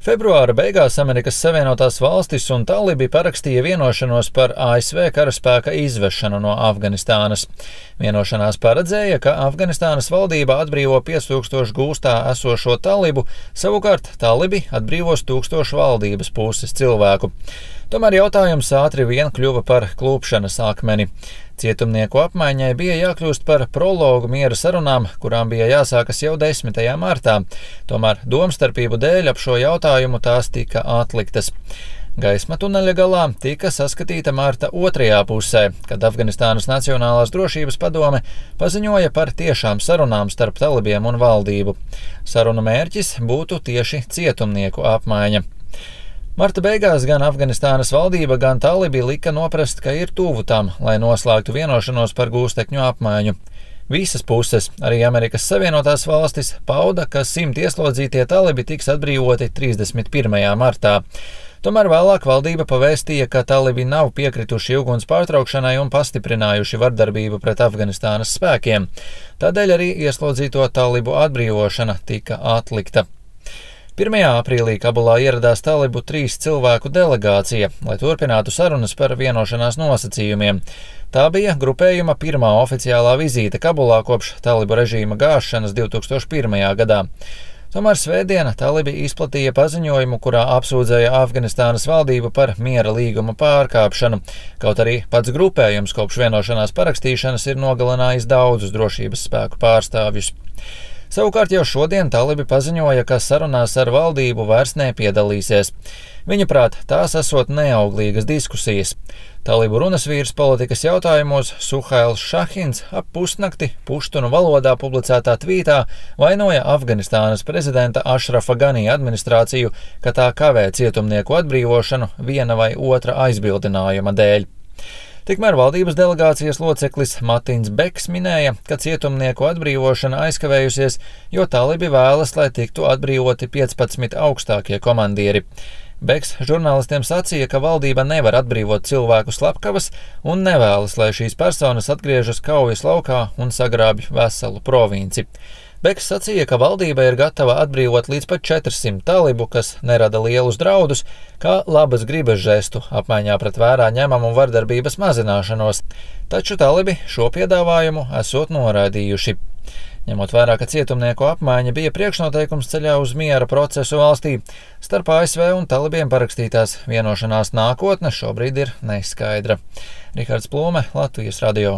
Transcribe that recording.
Februāra beigās Amerikas Savienotās valstis un talibi parakstīja vienošanos par ASV karaspēka izvešanu no Afganistānas. Vienošanās paredzēja, ka Afganistānas valdība atbrīvo 5000 gūstā esošo talibu, savukārt talibi atbrīvos 1000 valdības puses cilvēku. Tomēr jautājums ātri vien kļuva par klupšanas akmeni. Cietumnieku apmaiņai bija jākļūst par prologu miera sarunām, kurām bija jāsākas jau 10. martā. Tomēr domstarpību dēļ ap šo jautājumu tās tika atliktas. Gaisma tuneļa galā tika saskatīta marta otrajā pusē, kad Afganistānas Nacionālās drošības padome paziņoja par tiešām sarunām starp talibiem un valdību. Sarunu mērķis būtu tieši cietumnieku apmaiņa. Marta beigās gan Afganistānas valdība, gan talibi lika noprast, ka ir tuvu tam, lai noslēgtu vienošanos par gūstekņu apmaiņu. Visas puses, arī Amerikas Savienotās valstis, pauda, ka 100 ieslodzītie talibi tiks atbrīvoti 31. martā. Tomēr vēlāk valdība pavēstīja, ka talibi nav piekrituši uguns pārtraukšanai un pastiprinājuši vardarbību pret Afganistānas spēkiem. Tādēļ arī ieslodzīto talibu atbrīvošana tika atlikta. 1. aprīlī Kabulā ieradās talibu 3 cilvēku delegācija, lai turpinātu sarunas par vienošanās nosacījumiem. Tā bija grupējuma pirmā oficiālā vizīte Kabulā kopš talibu režīma gāšanas 2001. gadā. Tomēr svētdiena talibi izplatīja paziņojumu, kurā apsūdzēja Afganistānas valdību par miera līguma pārkāpšanu, kaut arī pats grupējums kopš vienošanās parakstīšanas ir nogalinājis daudzus drošības spēku pārstāvjus. Savukārt jau šodien talibi paziņoja, ka sarunās ar valdību vairs nepiedalīsies. Viņuprāt, tās esot neauglīgas diskusijas. Talibu runasvīrs politikas jautājumos Suhails Šahins ap pusnakti puštunu valodā publicētā tvītā vainoja Afganistānas prezidenta Ašrafa Ganī administrāciju, ka tā kavē cietumnieku atbrīvošanu viena vai otra aizbildinājuma dēļ. Tikmēr valdības delegācijas loceklis Matins Beks minēja, ka cietumnieku atbrīvošana aizkavējusies, jo talibi vēlas, lai tiktu atbrīvoti 15 augstākie komandieri. Beks žurnālistiem sacīja, ka valdība nevar atbrīvot cilvēku slepkavas un nevēlas, lai šīs personas atgriežas kaujas laukā un sagrābj veselu provinci. Beks sacīja, ka valdība ir gatava atbrīvot līdz pat 400 talibu, kas nerada lielus draudus, kā labas gribas žestu apmaiņā pret vērā ņemamu vardarbības mazināšanos, taču talibi šo piedāvājumu esot noraidījuši. Ņemot vērā, ka cietumnieku apmaiņa bija priekšnoteikums ceļā uz miera procesu valstī, starp ASV un talibiem parakstītās vienošanās nākotne šobrīd ir neskaidra. Rihards Plūme, Latvijas radio.